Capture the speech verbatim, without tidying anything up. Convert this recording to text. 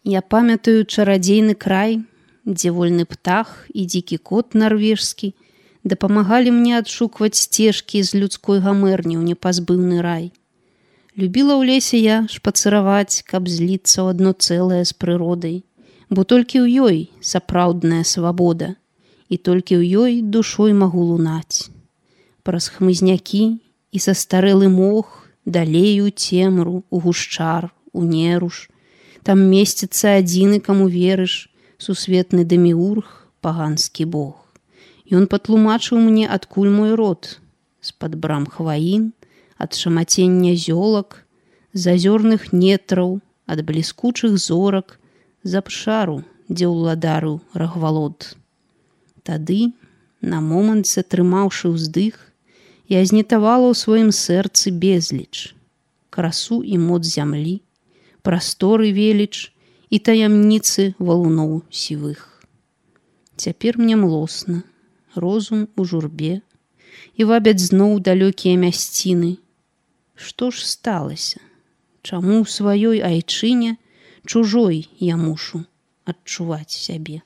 Я памятаю чарадзейны край, дзе вольны птах і дзікі кот нарвежскі дапамагалі мне адшукваць сцежкі з людской гамэрні ў непазбыўны рай. Любіла ў лесе я шпацыраваць, каб зліцца ў адно цэлае з прыродай, бо толькі ў ёй сапраўдная свабода, і толькі ў ёй душой магу лунаць. Праз хмызнякі і састарэлы мох далей у цемру, у гушчар, у неруш. Там месціцца адзіны, каму верыш, сусветны дэміург, паганскі бог. Ён патлумачыў мне, адкуль мой род, з-пад брам хваін, ад шамацення зёлак, з азёрных нетраў, ад бліскучых зорак, з абшару, дзе ўладарыў рагвалод. Тады, на момант затрымаўшы ўздых, я знітавала ў сваім сэрцы безліч, красу і моц зямлі, прасторы веліч і таямніцы валуноў сівых. Цяпер мне млосна, розум у журбе, і вабяць зноў далёкія мясціны. Што ж сталася? Чаму ў сваёй айчыне чужой я мушу адчуваць сябе?